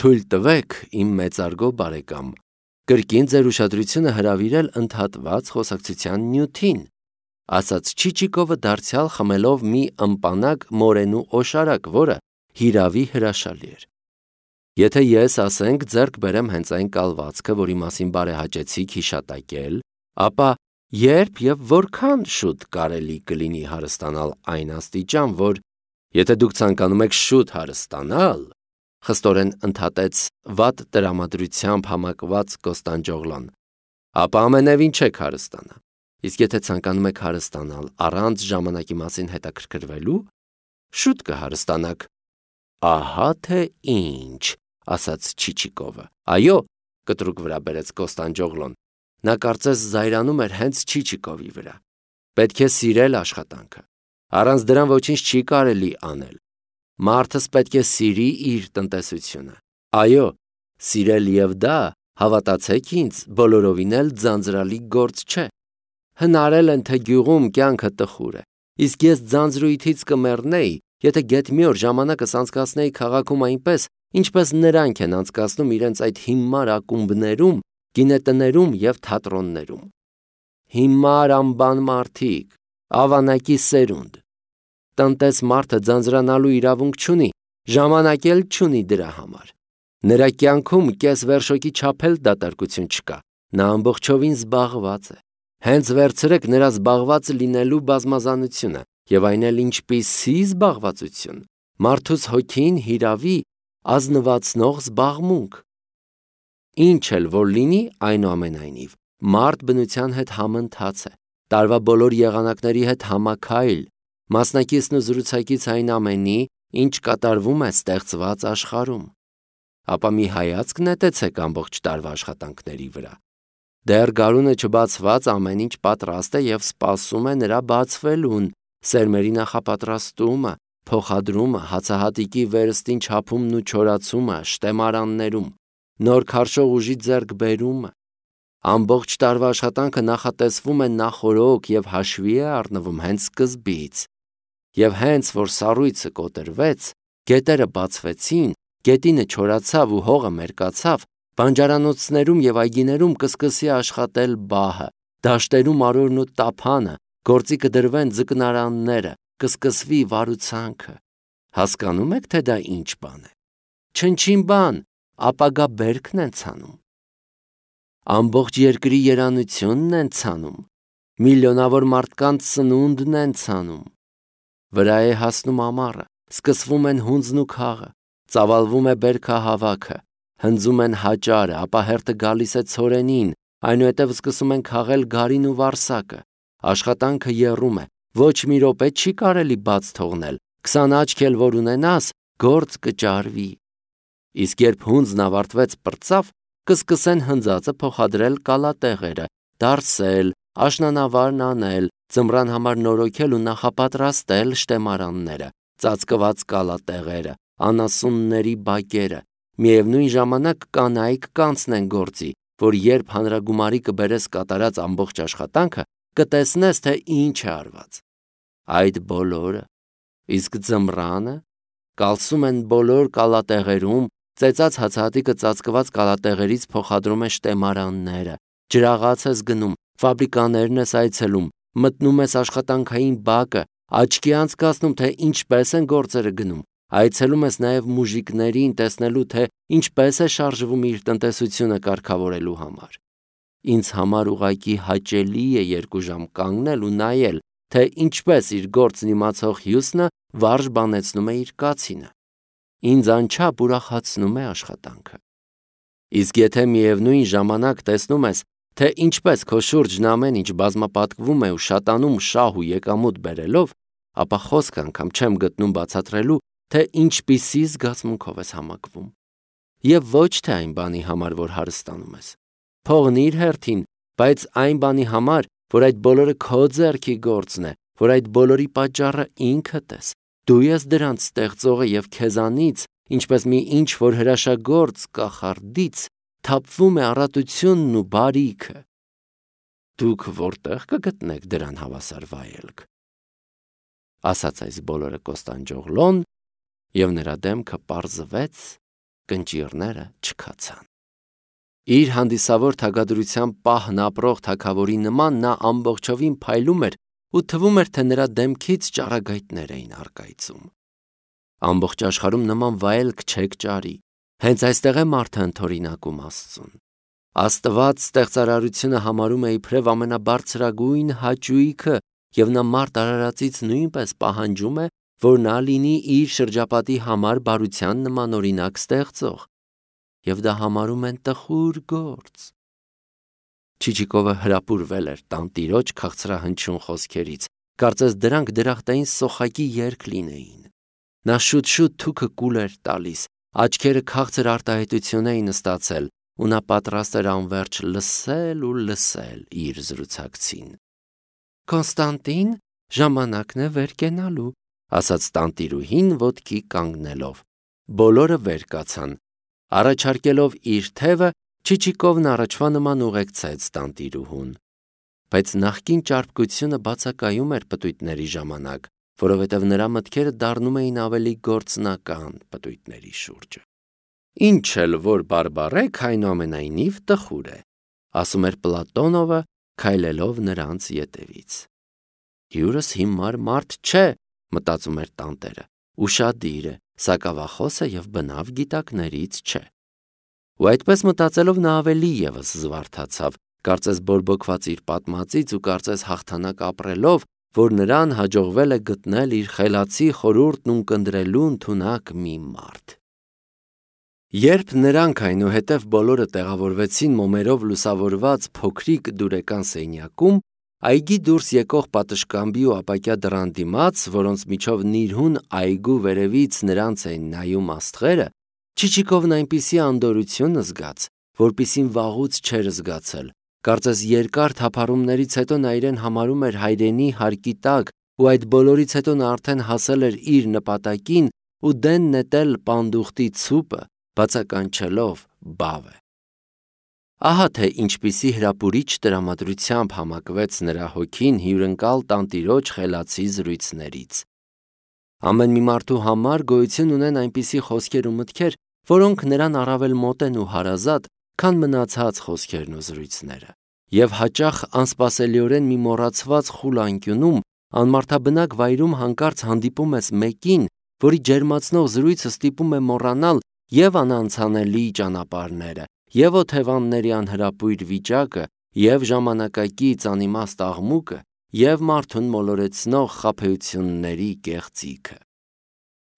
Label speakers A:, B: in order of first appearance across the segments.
A: Թույլ տվեք, իմ մեծարգո բարեկամ, կրկին ձեր ուշադրությունը հրավիրել ընդհատված խոսակցության նյութին, ասաց Չիչիկովը դարձյալ խմելով մի ըմպանակ մորենու օշարակ, որը հիրավի հրաշալի էր։ Եթե ես, ասենք, ձեռք բերեմ հենց այն կալվածքը, որի մասին բարեհաճեցիք հիշատակել, ապա երբ եւ որքան շուտ կարելի կլինի հարստանալ այն աստիճան, որ եթե դուք ցանկանում եք շուտ հարստանալ, խստորեն ընդհատեց վատ տրամադրությամբ համակված Կոստանդջոգլան, ապա ամենևին չեք հարստանա։ Իսկ եթե ցանկանում եք հարստանալ առանց ժամանակի մասին հետաքրքրվելու, շուտ կհարստանաք։ Ահա թե ինչ, ասաց Չիչիկովը։ Այո, կտրուկ վրա բերեց Կոստանդջոգլոն։ Նա կարծես զայրանում էր հենց Չիչիկովի վրա։ Պետք է սիրել աշխատանքը։ Առանց դրան ոչինչ չի կարելի անել։ Մարդս պետք է սիրի իր տնտեսությունը։ Այո, սիրել եւ դա, հավատացեք ինձ, բոլորովին էլ ձանձրալի գործ չէ։ Հնարել են, թե գյուղում կյանքը տխուր է, իսկ ես ձանձրույթից կմեռնեի, եթե գեթ մի օր ժամանակս անցկացնեի քաղաքում այնպես, ինչպես նրանք են անցկացնում իրենց այդ հիմար ակումբներում, գինետներում եւ թատրոններում։ Հիմար անբան մարդիկ, ավանակի սերունդ։ Տնտես մարդը ձանձրանալու իրավունք չունի, ժամանակ էլ չունի դրա համար։ Նրա կյանքում կես վերշոկի չափ էլ դատարկություն չկա, նա ամբողջովին զբաղված է։ Հենց վերցրեք նրա զբաղված լինելու բազմազանությունը, եւ այն էլ ինչպիսի զբաղվածություն, մարդուս հոգին հիրավի ազնվացնող զբաղմունք։ Ինչ էլ որ լինի, այնուամենայնիվ, մարդ բնության հետ համընթաց է, տարվա բոլոր եղանակների հետ համաքայլ, մասնակիցն ու զրուցակից այն ամենի, ինչ կատարվում է ստեղծված աշխարհում։ Ապա մի հայացք նետեցեք ամբողջ տարվա աշխատանքների վրա։ Դեռ գարունը չբացված ամեն ինչ պատրաստ է եւ սպասում է նրա բացվելուն, սերմերի նախապատրաստումը, փոխադրումը, հացահատիկի վերստին չափումն ու չորացումը, շտեմարաններում, նոր քարշող ուժի ձեռքբերումը։ Ամբողջ տարվա աշխատանքը նախատեսվում է նախօրոք եւ հաշվի է առնվում հենց սկզբից։ Եվ հենց որ սառույցը կոտրվեց, գետերը բացվեցին, գետինը չորացավ ու հողը մերկացավ, բանջարանոցներում եւ այգիներում կսկսի աշխատել բահը, դաշտերում արորն ու տափանը, գործի կդրվեն ձկնարանները, կսկսվի վարուցանքը։ Հասկանում եք, թե դա ինչ բան է։ Չնչին բան, ապագա բերքն են ցանում։ Ամբողջ երկրի երանությունն են ցանում, միլիոնավոր մարդկանց սնունդն են ցանում։ Վրա է հասնում ամառը, սկսվում են հունձն ու քաղը, ծավալվում է բերքահավաքը, հնձում են հաճարը, ապա հերթը գալիս է ցորենին, այնուհետև սկսում են քաղել գարին ու վարսակը։ Աշխատանքը եռում է, ոչ մի րոպե չի կարելի բաց թողնել, 20 աչք էլ որ ունենաս, գործ կճարվի։ Իսկ երբ հունձն ավարտվեց պրծավ, կսկսեն հնձածը փոխադրել կալատեղերը, դարսել, աշնանավարն անել, ձմռան համար նորոգել ու նախապատրաստել շտեմարանները, ծածկված կալատեղերը, անասունների բակերը, միևնույն ժամանակ կանայք կանցնեն գործի, որ երբ հանրագումարի կբերես կատարած ամբողջ աշխատանքը, կտեսնես, թե ինչ է արված։ Այդ բոլորը, իսկ ձմռանը, կալսում են բոլոր կալատեղերում, ծեծած հացահատիկը ծածկված կալատեղերից փոխադրում է շտեմարանները, ջրաղաց ես գնում, ֆաբրիկաներն ես այցելում, մտնում ես աշխատանքային բակը, աչքի անցկացնում, թե ինչպես են գործերը գնում, այցելում ես նաև մուժիկներին տեսնելու, թե ինչպես է շարժվում իր տնտեսությունը կարգավորելու համար։ Ինձ համար ուղղակի հաճելի է 2 ժամ կանգնել ու նայել, թե ինչպես իր գործն իմացող հյուսնը վարժ բանեցնում է իր կացինը։ Ինձ անչափ ուրախացնում է աշխատանքը։ Իսկ եթե միևնույն ժամանակ տեսնում ես, թե ինչպես քո շուրջն ամեն ինչ բազմապատկվում է ու շատանում շահ ու եկամուտ բերելով, ապա խոսք անգամ չեմ գտնում բացատրելու, թե ինչպիսի զգացմունքով ես համակվում։ Եվ ոչ թե այն բանի համար, որ հարստանում ես։ Փողն իր հերթին, բայց այն բանի համար, որ այդ բոլորը քո ձեռքի գործն է, որ այդ բոլորի պատճառը ինքդ ես։ Դու ես դրանց ստեղծողը եւ քեզանից, ինչպես մի ինչ որ հրաշագործ կախարդից, թափվում է առատությունն ու բարիքը։ Դուք որտեղ կգտնեք դրան հավասար վայելք։ Ասաց այս բոլորը Կոստանդջոգլոն, եւ նրա դեմքը պարզվեց կնճիռները չքացան։ Իր հանդիսավոր թագադրությամբ պահն ապրող թագավորի նման նա ամբողջովին փայլում էր ու թվում էր, թե նրա դեմքից ճառագայթներ էին առկայծում։ Ամբողջ աշխարհում նման վայելք չեք ճարի, հենց այստեղ է մարդը ընդօրինակում Աստծուն։ Աստված ստեղծարարությունը համարում է իբրև ամենաբարձրագույն հաճույքը, և նա մարդ արարածից նույնպես պահանջում է, որ նա լինի իր շրջապատի համար բարության նմանօրինակ ստեղծող, և դա համարում են տխուր գործ։ Չիչիկովը հրապուրվել էր տանտիրոջ քաղցրահնչյուն խոսքերից, կարծես դրանք դրախտային սոխակի երգ լինեին։ Նա շուտ-շուտ թուքը կուլ էր տալիս, աչքերը քաղցր արտահայտություն էին ստացել, ու նա պատրաստ էր անվերջ լսել ու լսել իր զրուցակցին։ «Կոնստանտին, ժամանակն է վեր կենալու», ասաց տանտիրուհին ոտքի կանգնելով։ Բոլորը վեր կացան։ Առաջարկելով իր թևը, Չիչիկովն առաջվա նման ուղեկցեց տանտիրուհուն։ Բայց նախկին ճարպկությունը բացակայում էր պտույտների ժամանակ, որովհետև նրա մտքերը դառնում էին ավելի գործնական պտույտների շուրջը։ «Ինչ էլ որ բարբառեք, այնուամենայնիվ տխուր է», ասում էր Պլատոնովը, քայլելով նրանց ետևից։ «Հյուրս հիմար մարդ չէ», մտածում էր տանտերը, ուշադիր է, սակավախոս է և բնավ գիտակներից չէ։ Ու այդպես մտածելով նա ավելի ևս զվարթացավ, կարծես բորբոքված իր պատմածից ու կարծես հաղթանակ ապրելով, որ նրան հաջողվել է գտնել իր խելացի խորհուրդն ունկնդրելու ընդունակ մի մարդ։ Երբ նրանք այնուհետև բոլորը տեղավորվեցին մոմերով լուսավորված փոքրիկ դուրեկան սենյակում, այգի դուրս եկող պատշգամբի ու ապակյա դռան դիմաց, որոնց միջով նիրհուն այգու վերևից նրանց էին նայում աստղերը, Չիչիկովն այնպիսի անդորրություն զգաց, որպիսին վաղուց չէր զգացել, կարծես երկար թափառումներից հետո նա իրեն համարում էր հայրենի հարկի տակ, ու այդ բոլորից հետո նա արդեն հասել էր իր նպատակին ու դեն նետել պանդուխտի ցուպը, բացականչելով բավը։ Ահա թե ինչպիսի հրապուրիչ տրամադրությամբ համակվեց նրա հոգին հյուրընկալ տանտիրոջ խելացի զրույցներից։ Ամեն մի մարդու համար գոյություն ունեն այնպիսի խոսքեր ու մտքեր, որոնք նրան առավել մոտ են ու հարազատ, քան մնացած խոսքերն ու զրույցները, և հաճախ անսպասելիորեն մի մոռացված խուլ անկյունում, անմարդաբնակ վայրում հանկարծ հանդիպում ես մեկին, որի ջերմացնող զրույցը ստիպում է մոռանալ և անանցանելի ճանապարհները, և օթևանների անհրապույր վիճակը, և ժամանակակից անիմաստ աղմուկը, և մարդուն մոլորեցնող խաբեությունների կեղծիքը։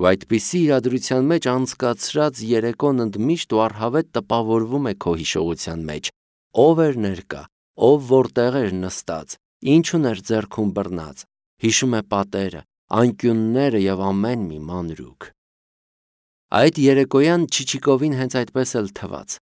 A: Ու այդպիսի իրադրության մեջ անցկացրած երեկոն ընդմիշտ ու առհավետ տպավորվում է քո հիշողության մեջ, ով էր ներկա, ով որտեղ էր նստած, ինչ ուներ ձեռքում բռնած, հիշում է պատերը, անկյունները և ամեն մի մանրուք։ Այդ երեկոյան Չիչիկովին հենց այդպես էլ թվաց,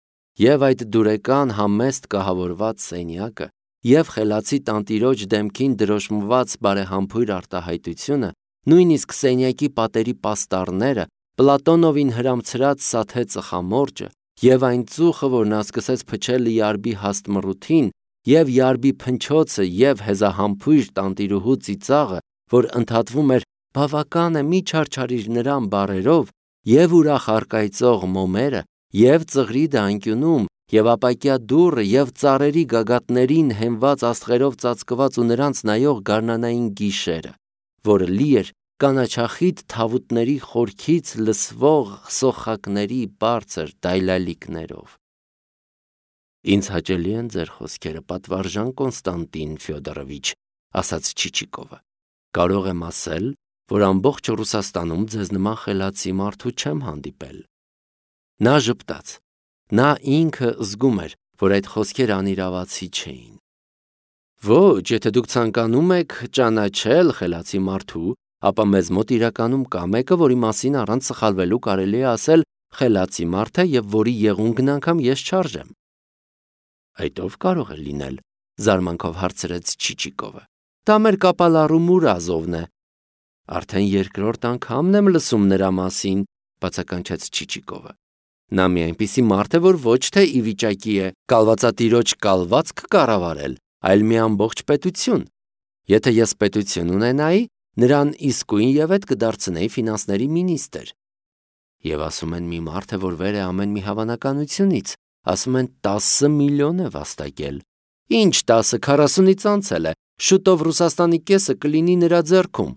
A: և այդ դուրեկան համեստ կահավորված սենյակը, և խելացի տանտիրոջ դեմքին դրոշմված բարեհամբույր արտահայտությունը, նույնիսկ սենյակի պատերի պաստառները, Պլատոնովին հրամցրած սաթե ծխամորճը, և այն ծուխը, որ նա սկսեց փչել Յարբի հաստ մռութին, և Յարբի փնչոցը, և հեզահամբույր տանտիրուհու ծիծաղը, որ ընդհատվում էր «բավական է, մի չարչարիր նրան» բառերով, և ուրախ առկայծող մոմերը, և ծղրիդը անկյունում, և ապակյա դուռը, և ծառերի գագաթներին հենված աստղերով ծածկված ու նրանց նայող գարնանային գիշերը, որը լի էր կանաչախիտ թավուտների խորքից լսվող սոխակների բարձր դայլալիքներով։ «Ինձ հաճելի են ձեր խոսքերը, պատվարժան Կոնստանտին Ֆյոդորովիչ», ասաց Չիչիկովը։ «Կարող եմ ասել, որ ամբողջ Ռուսաստանում ձեզ նման խելացի մարդու չեմ հանդիպել»։ Նա ժպտաց։ Նա ինքը զգում էր, որ այդ խոսքերը անիրավացի չէին։ «Ոչ, եթե դուք ցանկանում եք ճանաչել խելացի մարդու, ապա մեզ մոտ իրականում կա մեկը, որի մասին առանց սխալվելու կարելի է ասել խելացի մարդ է և որի եղունգն անգամ ես չարժեմ»։ «Այդ ով կարող է լինել», զարմանքով հարցրեց Չիչիկովը։ «Դա մեր կապալառու Մուրազովն է»։ «Արդեն երկրորդ անգամն եմ լսում նրա մասին», բացականչեց Չիչիկովը։ «Նա մի այնպիսի մարդ է, որ ոչ թե ի վիճակի է կալվածատիրոջ կալվածք կառավարել, այլ մի ամբողջ պետություն։ Եթե ես պետություն ունենայի, նրան իսկույն ևեթ կդարձնեի ֆինանսների մինիստրը»։ Եվ ասում են մի մարդ է, որ վեր է ամեն մի հավանականությունից, ասում են 10 միլիոն է վաստակել։ Ինչ 10, 40-ից անցել է, շուտով Ռուսաստանի կեսը կլինի նրա ձեռքում։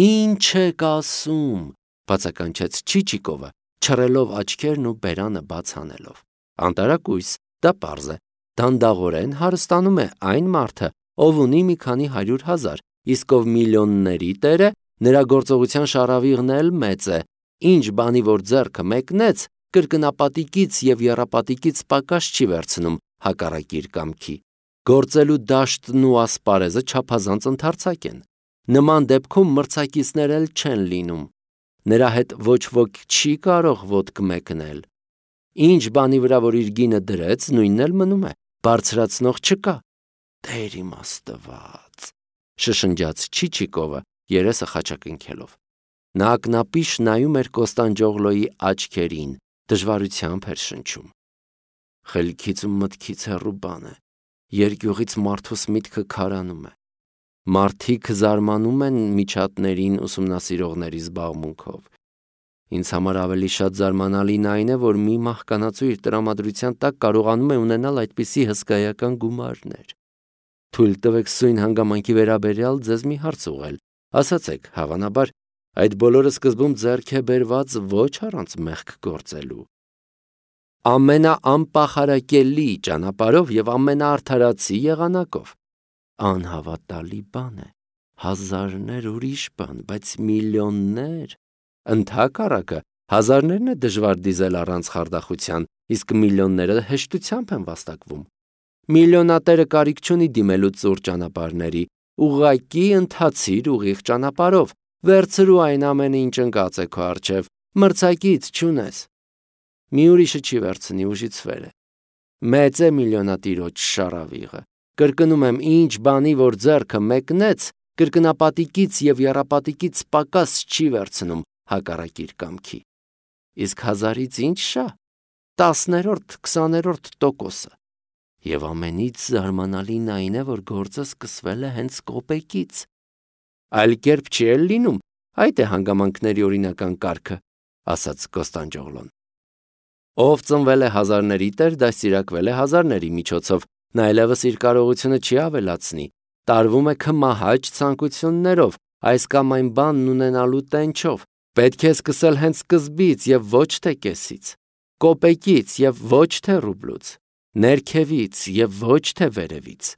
A: Ինչ եք ասում, բացականչեց Չիչիկովը, չռելով աչքերն ու բերանը բաց անելով։ Անտարակույս, դա պարզ է, դանդաղորեն հարստանում է այն մարդը, ով ունի մի քանի 100,000, իսկ ով միլիոնների տերը, նրա գործողության շարավիղն էլ մեծ է, ինչ բանի որ ձեռքը մեկնեց, կրկնապատիկից և եռապատիկից պակաս չի վերցնում հակառակ իր կամքի։ Գործելու դաշտն ու ասպարեզը չափազանց ընդարձակ են։ Նման դեպքում մրցակիցներ էլ չեն լինում։ Նրա հետ ոչ ոք չի կարող ոտք մեկնել։ Ինչ բանի վրա որ իր գինը դրեց, նույնն էլ մնում է, բարձրացնող չկա։ Տեր իմ Աստված, շշնջաց Չիչիկովը, երեսը խաչակնքելով։ Նա ակնապիշ նայում էր Կոստանդջոգլոյի աչքերին, դժվարությամբ էր շնչում։ Խելքից ու մտքից հեռու բան է, երկյուղից մարդուս միտքը քարանում է։ Մարդիկ զարմանում են միջատներին ուսումնասիրողների զբաղմունքով։ Ինձ համար ավելի շատ զարմանալին այն է, որ մի մահկանացու իր տրամադրության տակ կարողանում է ունենալ այդպիսի հսկայական գումարներ։ Թույլ տվեք սույն հանգամանքի վերաբերյալ ձեզ մի հարց ուղղել, ասացեք, հավանաբար, այդ բոլորը սկզբում ձեռք է բերված ոչ առանց մեղք գործելու։ Ամենաանպախարակելի ճանապարհով և ամենաարդարացի եղանակով։ Անհավատալի բան է, հազարներ ուրիշ բան, բայց միլիոններ։ Ընդհակառակը, հազարներն է դժվար դիզել առանց խարդախության, իսկ միլիոնները հեշտությամբ են վաստակվում։ Միլիոնատերը կարիք չունի դիմելու ծուռ ճանապարհների, ուղղակի ընթացիր ուղիղ ճանապարհով, վերցրու այն ամենը, ինչ ընկած է քո առջև, մրցակից չունես։ Մի ուրիշը չի վերցնի, ուժից վեր է։ Մեծ է միլիոնատիրոջ շարավիղը։ Կրկնում եմ, ինչ բանի որ ձեռքը մեկնեց, կրկնապատիկից և եռապատիկից պակաս չի վերցնում հակառակ իր կամքի։ Իսկ հազարից ինչ շա, 10-րդ, 20-րդ տոկոսը։ Եվ ամենից զարմանալին այն է, որ գործը սկսվել է հենց կոպեկից։ Այլ կերպ չի էլ լինում, այդ է հանգամանքների օրինական կարգը, ասաց Կոստանդջոգլոն։ Ով ծնվել է հազարների տեր, դաստիարակվել է հազարների միջոցով, նա այլևս իր կարողությունը չի ավելացնի, տարվում է քմահաճ ցանկություններով, այս կամ այն բանն ունենալու տենչով, պետք է սկսել հենց սկզբից և ոչ թե կեսից, կոպեկից և ոչ թե ռուբլուց, ներքևից և ոչ թե վերևից։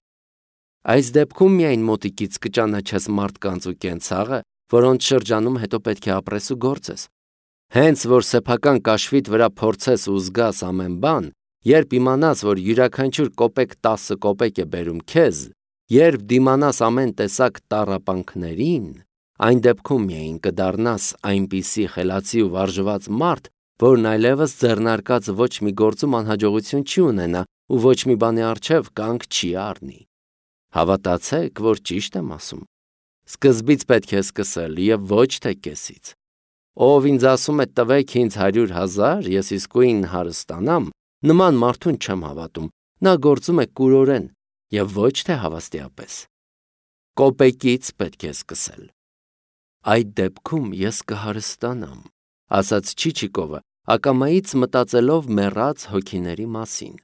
A: Այս դեպքում միայն մոտիկից կճանաչես մարդկանց ու կենցաղը, որոնց շրջանում հետո պետք է ապրես ու գործես։ Հենց որ սեփական կաշվիդ վրա փորձես ու զգաս ամեն բան, երբ իմանաս, որ յուրաքանչյուր կոպեկ 10 կոպեկ է բերում քեզ, երբ դիմանաս ամեն տեսակ տառապանքներին, այն դեպքում միայն կդառնաս այնպիսի խելացի ու վարժված մարդ, որն այլևս ձեռնարկած ոչ մի գործում անհաջողություն չի ունենա ու ոչ մի բանի առջև կանգ չի առնի։ Հավատացեք, որ ճիշտ եմ ասում։ Սկզբից պետք է սկսել և ոչ թե կեսից։ Ով ինձ ասում է տվեք ինձ 100,000, ես իսկույն հարստանամ, նման մարդուն չեմ հավատում, նա գործում է կուրորեն և ոչ թե հավաստիապես։ Կոպեկից պետք է սկսել։ Այդ դեպքում ես կհարստանամ, ասաց Չիչիկովը, ակամայից մտածելով մեռած հոգիների մասին,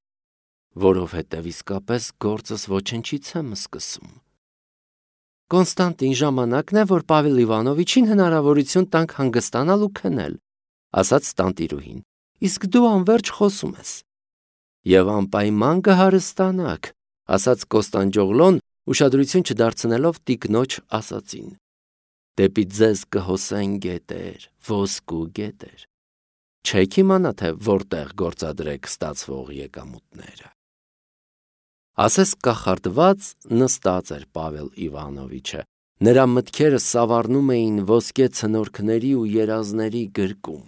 A: որովհետև իսկապես գործս ոչնչից եմ սկսում։ Կոնստանտին, ժամանակն է, որ Պավել Իվանովիչին հնարավորություն տանք հանգստանալ ու քնել, ասաց տանտիրուհին, իսկ դու անվերջ խոսում ես։ Եվ անպայման կհարստանաք, ասաց Կոստանդջոգլոն, ուշադրություն չդարձնելով տիկնոջ ասածին։ Դեպի ձեզ կհոսեն գետեր, ոսկու գետեր։ Չեք իմանա, թե որտեղ գործադրեք ստացվող եկամուտները։ Ասես կախարդված նստած էր Պավել Իվանովիչը, նրա մտքերը սավառնում էին ոսկե ցնորքների ու երազների գրկում։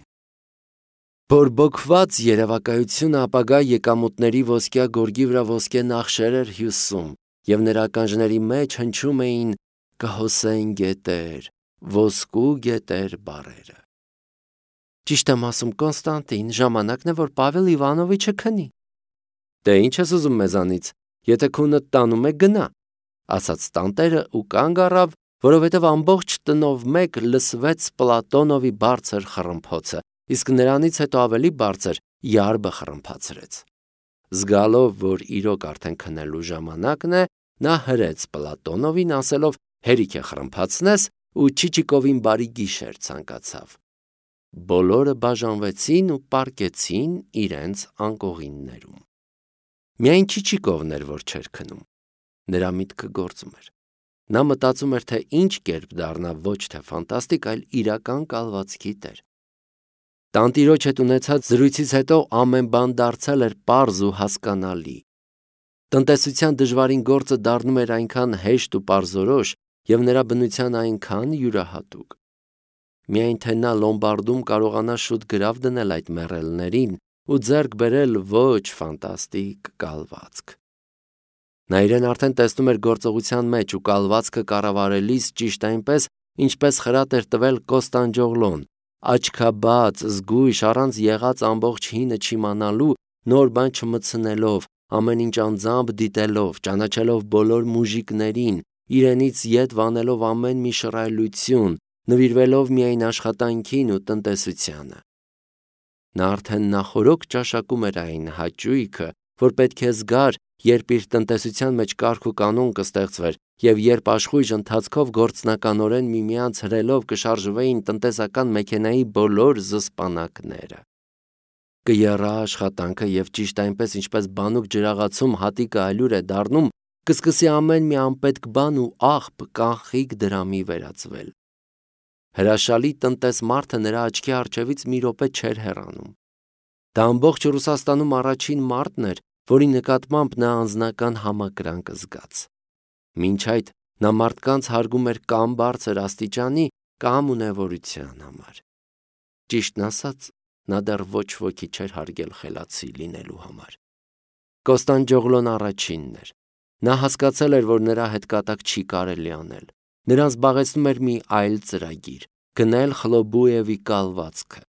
A: Բորբոքված երևակայությունը ապագա եկամուտների ոսկյա գորգի վրա ոսկե նախշեր էր հյուսում, և նրա ականջների մեջ հնչում էին «կհոսեն գետեր, ոսկու գետեր» բառերը։ Ճիշտ եմ ասում, Կոնստանտին, ժամանակն է, որ Պավել Իվանովիչը քնի։ Դե ինչ ես ուզում մեզանից, եթե քունդ տանում է գնա, ասաց տանտերը ու կանգ առավ, որովհետև ամբողջ տնով մեկ լսվեց Պլատոնովի բարձր խռմփոցը, իսկ նրանից հետո ավելի բարձր յարբը խռմփացրեց։ Զգալով, որ իրոք արդեն քնելու ժամանակն է, նա հրեց Պլատոնովին, ասելով հերիք է խռմփացնես, ու Չիչիկովին բարի գիշեր ցանկացավ։ Բոլորը բաժանվեցին ու պառկեցին իրենց անկողիններում։ Միայն Չիչիկովն էր, որ չէր քնում։ Նրա միտքը գործում էր։ Նա մտածում էր, թե ինչ կերպ դառնա ոչ թե ֆանտաստիկ, այլ իրական կալվածքի տեր։ Տանտիրոջ հետ ունեցած զրույցից հետո ամեն բան դարձել էր պարզ ու հասկանալի։ Տնտեսության դժվարին գործը դառնում էր այնքան հեշտ ու պարզորոշ և նրա բնության այնքան յուրահատուկ։ Միայն թե նա Լոմբարդում կարողանա շուտ գրավ դնել այդ մեռելներին ու ձեռք բերել ոչ ֆանտաստիկ կալվածք։ Նա իրեն արդեն տեսնում էր գործողության մեջ ու կալվածքը կառավարելիս ճիշտ այնպես, ինչպես խրատ էր տվել Կոստանդջոգլոն, աչքաբաց, զգույշ, առանց եղած ամբողջ հինը չիմանալու, նոր բան չմտցնելով, ամեն ինչ անձամբ դիտելով, ճանաչելով բոլոր մուժիկներին, իրենից ետ վանելով ամեն մի շռայլություն, նվիրվելով միայն աշխատանքին ու տնտեսությանը։ Նա արդեն նախօրոք ճաշակում էր այն հաճույքը, որ պետք է զգար, երբ իր տնտեսության մեջ կարգ ու կանոն կստեղծվեր և երբ աշխույժ ընթացքով գործնականորեն միմյանց հրելով կշարժվեին տնտեսական մեքենայի բոլոր զսպանակները։ Կեռա աշխատանքը և ճիշտ այնպես, ինչպես բանուկ ջրաղացում հատիկը ալյուր է դառնում, կսկսի ամեն մի անպետք բան ու աղբ կանխիկ դրամի վերածվել։ Հրաշալի տնտես մարդը նրա աչքի առջևից մի րոպե չէր հեռանում։ Դա ամբողջ Ռուսաստանում առաջին մարդն էր, որի նկատմամբ նա անձնական համակրանք զգաց։ Մինչ այդ նա մարդկանց հարգում էր կամ բարձր աստիճանի, կամ ունևորության համար։ Ճիշտն ասած, նա դեռ ոչ ոքի չէր հարգել խելացի լինելու համար։ Կոստանդջոգլոն առաջինն էր։ Նա հասկացել էր, որ նրա հետ կատակ չի կարելի անել։ Նրան զբաղեցնում էր մի այլ ծրագիր՝ գնել Խլոբուևի կալվածքը։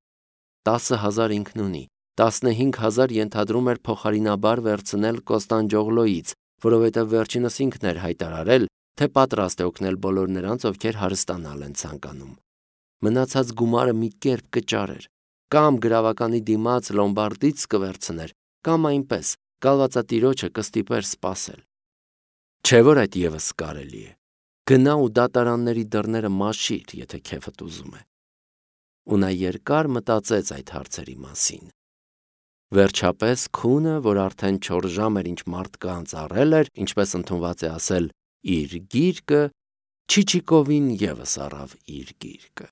A: 10,000 ինքն ունի, 15,000 ենթադրում էր փոխարինաբար վերցնել Կոստանդջոգլոյից, որովհետև վերջինս ինքն էր հայտարարել, թե պատրաստ է օգնել բոլոր նրանց, ովքեր հարստանալ են ցանկանում։ Մնացած գումարը մի կերպ կճարեր, կամ գրավականի դիմաց Լոմբարդից կվերցներ, կամ այնպես կալվածատիրոջը կստիպեր սպասել։ Չէ՞ որ այդ ևս կարելի է։ Գնա ու դատարանների դռները մաշիր, եթե քեֆդ ուզում է։ Ու նա երկար մտածեց այդ հարցերի մասին։ Վերջապես քունը, որ արդեն 4 ժամ էր ինչ մարդկանց առել էր, ինչպես ընդունված է ասել, իր գիրկը, Չիչիկովին ևս առավ իր գիրկը։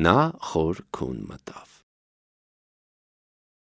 A: Նա խոր քուն մտավ։